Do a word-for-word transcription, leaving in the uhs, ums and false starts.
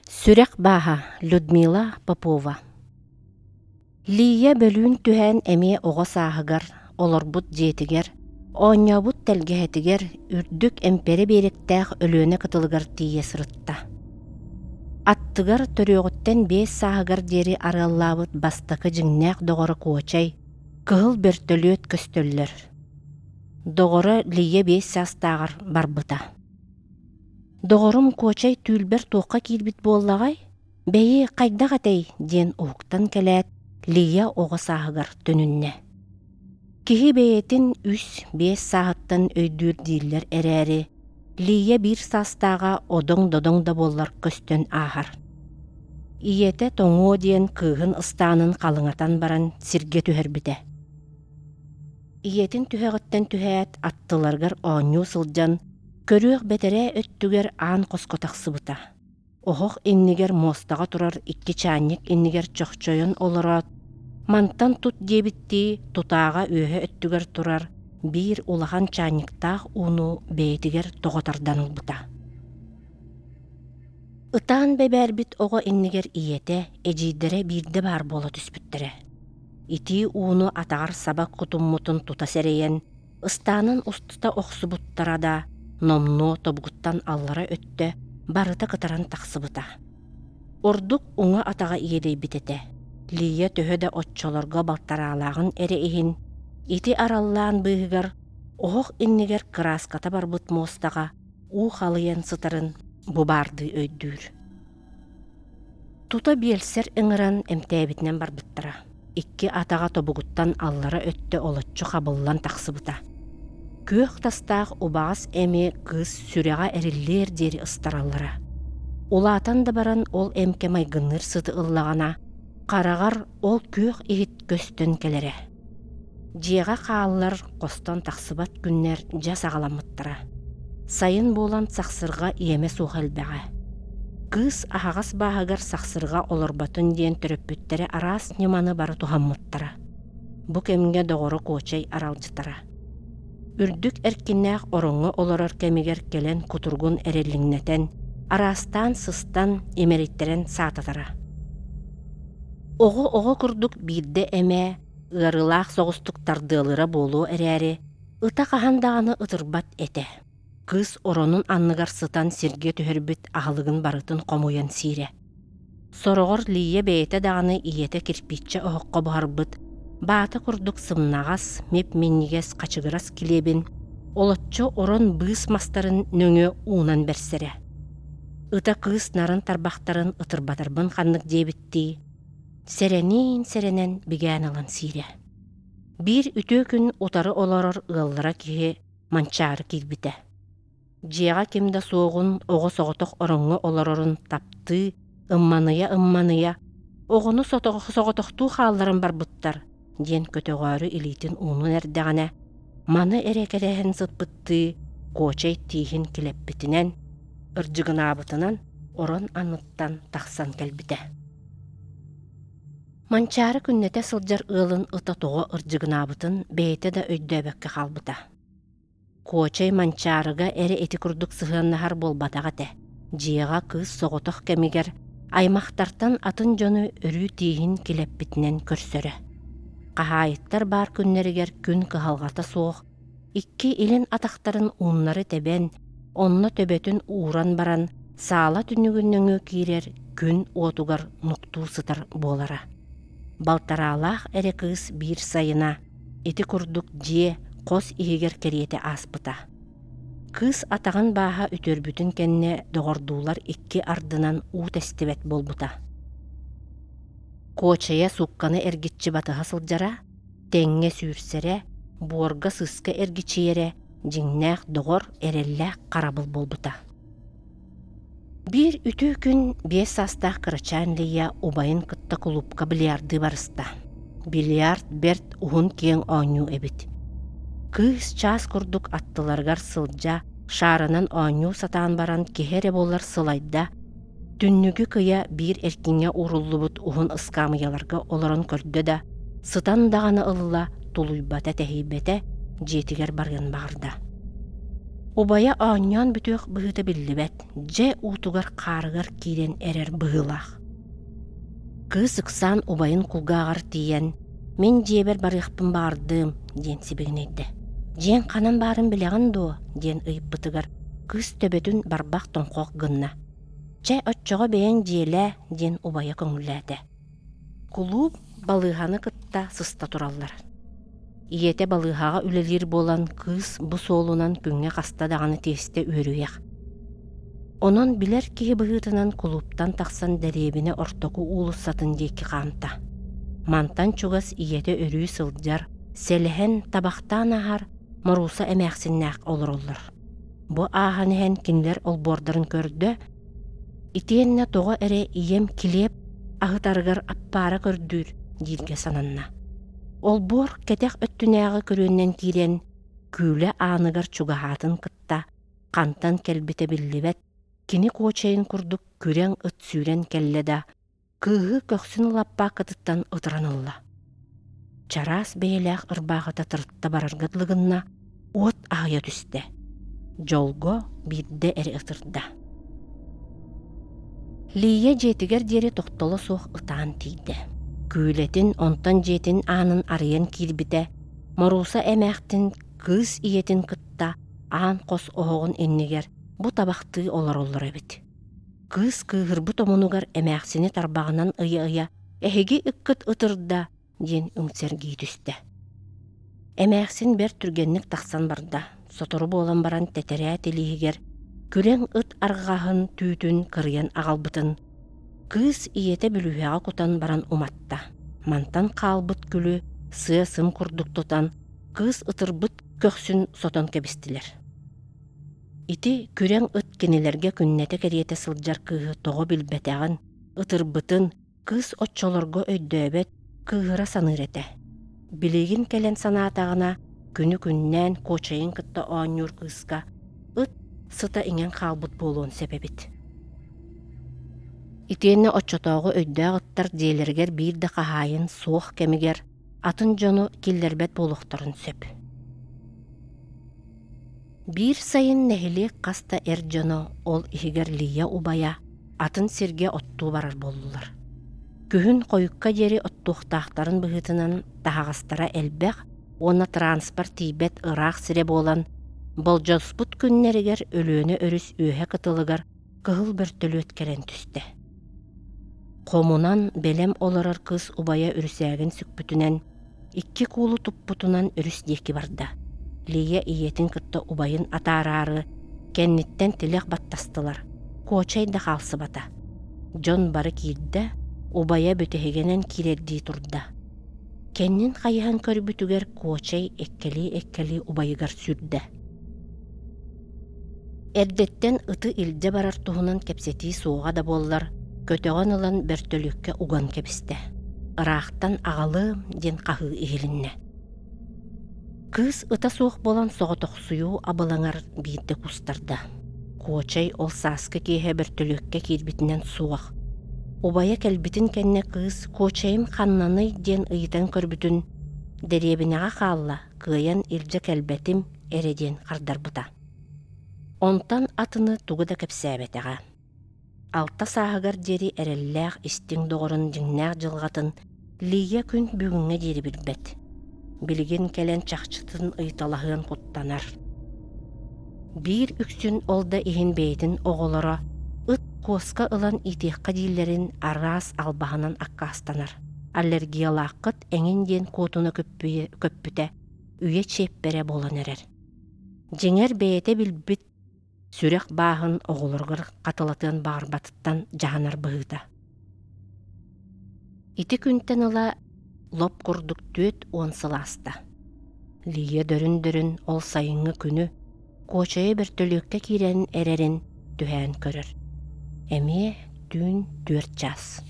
Сүрэх бааһа Людмила Попова. Лия бөлүүн түһээн эмиэ оҕо сааһыгар, олорбут дьиэтигэр, оонньообут тэлгэһэтигэр, үрдүк эмпэрэ биэрэктээх Өлүөнэ кытылыгар тиийэ сырытта. Аттыгар төрүөҕүттэн биэс сааһыгар диэри арыаллаабыт бастакы дьиҥнээх доҕоро Куочай, кыһыл бөртөлүөт көстөллөр. Доҕоро Лия биэс саастааҕар барбыта. Доҕорум Куочай түүлбэр туохха киирбит буоллаҕай? Бэйи, хайдах этэй? Диэн уһуктан кэлээт, Лия оҕо сааһыгар төнүннэ. Киһи бэйэтин үс, биэс сааһыттан өйдүүр дииллэр эрээри, Лия биир саастааҕа одоҥ-додоҥ да буоллар көстөн ааһар. Ийэтэ тоҥуо диэн кыыһын ыстаанын халыҥатан баран сиргэ түһэрбитэ. Ийэтин түһэҕиттэн түһээт, аттыларыгар оонньуу сылдьан, көрүөх бэтэрээ өттүгэр аан хоско тахсыбыта. Оһох иннигэр муостаҕа турар икки чаанньык иннигэр чохчойон олороот, мантан тут диэбиттии тутааҕа үөһэ өттүгэр турар биир улахан чаанньыктаах ууну бэйэтигэр тоҕо тардан ылбыта. Ытаан бэбээрбит оҕо иннигэр ийэтэ, эдьиийдэрэ биирдэ баар буола түспүттэрэ. Итии ууну атаҕар саба кутуммутун тута сэрэйэн, ыстаанын устута охсубуттара да, номнуо тобугуттан аллара өттө барыта кытаран тахсыбыта. Ордук уҥа атаҕа иэдэйбит этэ. Лия төһө да оччолорго балтараалааҕын эрэ иһин, ити араллаан быыһыгар оһох иннигэр кырааската барбыт муостаҕа уу халыйан сытарын бу баардыы өйдүүр. Тута биэлсэр ыҥыран эмтээбитинэн барбыттара. Икки атаҕа тобугуттан аллара өттө олоччу хабыллан тахсыбыта. Күөх тастаах убаҕас эми кыыс сүрэҕэ эриллиэр диэри ыстараллара. Улаатан да баран ол эмкэ майгынныыр сыты ыллаҕына, хараҕар ол күөх иһит көстөн кэлэрэ. Дьиэҕэ хааллар, хостон тахсыбат күннэр дьэ саҕаламмыттара. Сайын буолан сахсырҕа иэмэ суох элбэҕэ. Кыыс аһаҕас бааһыгар сахсырҕа олорботун диэн төрөппүттэрэ араас ньыманы бары туһаммыттара. Бу кэмҥэ доҕоро Куочай аралдьытара. Үрдүк эркиннээх ороҥҥо олорор кэмигэр кэлэн кутуругун эрэллиҥнэтэн, араастаан сыстан, имэриттэрэн саататара. Оҕо-оҕо курдук биирдэ эмэ ыарыылаах соҕустук тардыалыыра буолуо эрээри, ыта хаһан даҕаны ытырбат этэ. Кыыс оронун анныгар сытан сиргэ түһэрбит аһылыгын барытын хомуйан сиирэ. Сороҕор Лия бэйэтэ даҕаны ийэтэ кирпииччэ оһоххо буһарбыт, баата курдук сымнаҕас, мип-минньигэс хачыгырас килиэбин олоччу орон быыс мастарын нөҥүө уунан бэрсэрэ. Ыта кыыс нарын тарбахтарын ытырбатарбын ханнык диэбиттии, сэрэниин-сэрэнэн бигээн ылан сиирэ. Биир үтүө күн утары олорор ыаллара киһи Манчаары киирбитэ. Дьиэҕэ ким да суоҕун, оҕо соҕотох ороҥҥо олорорун таптыы, ымманыйа-ымманыйа, оҕону соҕотохтуу хаалларан барбыттар диэн көтөҕөөрү илиитин уунан эрдэҕинэ, маны эрэ кэтэһэн сыппыттыы Куочай тииһин килэппитинэн, ырдьыгынаабытынан орон анныттан тахсан кэлбитэ. Манчаары күннэтэ сылдьар ыалын ыта тоҕо ырдьыгынаабытын бэйэтэ да өйдөөбөккө хаалбыта. Куочай Манчаарыга эрэ ити курдук сыһыаннаһар буолбатах этэ. Дьиэҕэ кыыс соҕотох кэмигэр аймахтартан атын дьону өрүү тииһин килэппитинэн көрсөрө. Хаһаайыттар баар күннэригэр күн кыһалҕата суох, икки илин атахтарын ууннары тэбэн, онно төбөтүн ууран баран, саала түннүгүн нөҥүө киирэр күн уотугар нуктуу сытар буолара. Балтараалаах эрэ кыыс биир сайына ити курдук дьиэ хос иһигэр кэриэтэ ааспыта. Кыыс атаҕын бааһа үтүөрбүтүн кэннэ доҕордуулар икки ардынан уу тэстибэт буолбута. Куочайа суукканы эргиччи батыһа сылдьара, тэҥҥэ сүүрсэрэ, буорга сыыска эргичийэрэ, дьиҥнээх доҕор, эрэллээх харабыл буолбута. Биир үтүө күн биэс саастаах кырачаан Лия убайын кытта кулуупка бильярдыы барыста. Бильярд бэрт уһун-киэҥ оонньуу эбит. Кыыс чаас курдук аттыларыгар сылдьа, шаарынан оонньуу сатаан баран киһи эрэ буоллар сылайда, түннүгү кыйа биир эркиҥҥэ ууруллубут уһун ыскаамыйаларга олорон көрдө да, сытан даҕаны ылла, тулуйбата-тэһийбэтэ, дьиэтигэр барыан баҕарда. Убайа оонньоон бүтүөх быһыыта биллибэт, дьэ уутугар-хаарыгар киирэн эрэр быһыылаах. Кыыс ыксаан убайын кулгааҕар тиийэн, «Мин дьиэбэр барыахпын баҕардым» диэн сибигинэйдэ. «Дьиэҥ ханан баарын билэҕин дуо?» диэн ыйыппытыгар кыыс төбөтүн барбах тоҥхох гынна. «Чэ, оччоҕо бэйэҥ дьиэлээ» диэн убайа көҥүллээтэ. Кулууп балыыһаны кытта сыста тураллар. Ийэтэ балыыһаҕа үлэлиир буолан, кыыс бу суолунан күҥҥэ хаста даҕаны тиэстэ үөрүйэх. Онон билэр киһи быһыытынан кулууптан тахсан дэриэбинэ ортоку уулуссатын диэки хаамта. Мантан чугас ийэтэ өрүү сылдьар, сэлэһэн, табахтаан ааһар Морууса эмээхсиннээх олороллор. Бу ааһан иһэн кинилэр олбуордарын көрдө, итиэннэ тоҕо эрэ ийэм килиэп аһытарыгар аппаара көрдүүр дииргэ сананна. Олбуор кэтэх өттүнээҕи көрүөннэн киирэн, күүлэ ааныгар чугаһаатын кытта хантан кэлбитэ биллибэт, кини куочайын курдук күрэҥ ыт сүүрэн кэллэ да, кыыһы көхсүн лаппаакытыттан ытыран ылла. Чараас бэйэлээх ырбаахыта тырытта барарга дылы гынна, уот аһыйа түстэ. Дьолго биирдэ эрэ ытырда. Лия дьиэтигэр диэри тохтоло суох ытаан тиийдэ. Күүлэтин, онтон дьиэтин аанын арыйан киирбитэ, Морууса эмээхтин кыыс ийэтин кытта аан хос оһоҕун иннигэр бу табахтыы олороллор эбит. Кыыс кыыһырбыт омунугар эмээхсини тарбаҕынан ыйа-ыйа «Эһиги ыккыт ытырда» диэн үҥсэргии түстэ. Эмээхсин бэрт түргэнник тахсан барда. Сотору буолан баран тэтэрээт илииһигэр күрэҥ ыт арҕаһын түүтүн кырыйан аҕалбытын кыыс ийэтэ бүлүүһэҕэ кутан баран уматта. Мантан хаалбыт күлү сыа-сым курдук тутан кыыс ытырбыт көхсүн сотон кэбистилэр. Ити күрэҥ ыт кинилэргэ күннэтэ кэриэтэ сылдьар кыыһы тоҕо билбэтэҕин, ытырбытын кыыс оччолорго өйдөөбөт, кыыһыра саныыр этэ. Билигин кэлэн санаатаҕына, күнү-күннээн куочайын кытта оонньуур кыыска ыт сыта иҥэн хаалбыт буолуон сөп эбит. Итиэннэ оччотооҕу өйдөөх ыттар дьиэлэригэр биир да хаһаайын суох кэмигэр атын дьону киллэрбэт буолуохтарын сөп. Биир сайын нэһилиэк хас да эр дьоно, ол иһигэр Лия убайа, атын сиргэ оттуу барар буоллулар. Күһүн хойукка диэри оттуохтаахтарын быһыытынан таһаҕастара элбэх уонна транспорт тиийбэт ыраах сирэ буолан, болдьоспут күннэригэр Өлүөнэ өрүс үөһэ кытылыгар кыһыл бөртөлүөт кэлэн түстэ. Хомунан бэлэм олорор кыыс убайа үрүсээгин сүкпүтүнэн, икки куулу туппутунан өрүс диэки барда. Лия ийэтин кытта убайын атаараары кэнниттэн тилэх баттастылар, куочай да хаалсыбата. Дьон бары киирдэ, убайа бүтэһигинэн киирэрдии турда. Кэннин хайыһан көрбүтүгэр куочай эккэлии-эккэлии убайыгар сүүрдэ. Эрдэттэн ыты илдьэ барар туһунан кэпсэтии суоҕа да буоллар, көтөҕөн ылан бөртөлүөккэ уган кэбистэ. Ыраахтан аҕалыам диэн хаһыы иһилиннэ. Кыыс ыта суох буолан соҕотохсуйуу абылаҥар биирдэ кустарда. Куочай ол сааскы киэһэ бөртөлүөккэ киирбитинэн суох. Убайа кэлбитин кэннэ кыыс «Куочайым ханнаный?» диэн ыйытан көрбүтүн «Дэриэбинэҕэ хаалла, кыайан илдьэ кэлбэтим» эрэ диэн хардарбыта. Онтон атыны тугу да кэпсээбэтэҕэ. Алта сааһыгар диэри эрэллээх истиҥ доҕорун дьиҥнээх дьылҕатын Лия күн бүгүҥҥэ диэри билбэт. Билигин кэлэн чахчытын ыйыталаһыан куттанар. Биир үксүн ол да иһин бэйэтин оҕолоро ыт куоска ылан иитиэххэ дииллэрин араас албаһынан аккаастанар. Аллергиялааххыт эҥин диэн куотуна көппүтэ үйэ чиэппэрэ буолан эрэр. Дьиҥэр бэйэтэ билбит сүрэх бааһын оҕолоругар хатылатыан баҕарбатыттан дьаһанар быһыыта. Ити күнтэн ыла лоп курдук түөрт уон сыл ааста. Лия дөрүн-дөрүн ол сайыҥҥы күнү куочайа бөртөлүөккэ киирэн эрэрин түһээн көрөр. Эмиэ түүн түөрт чаас.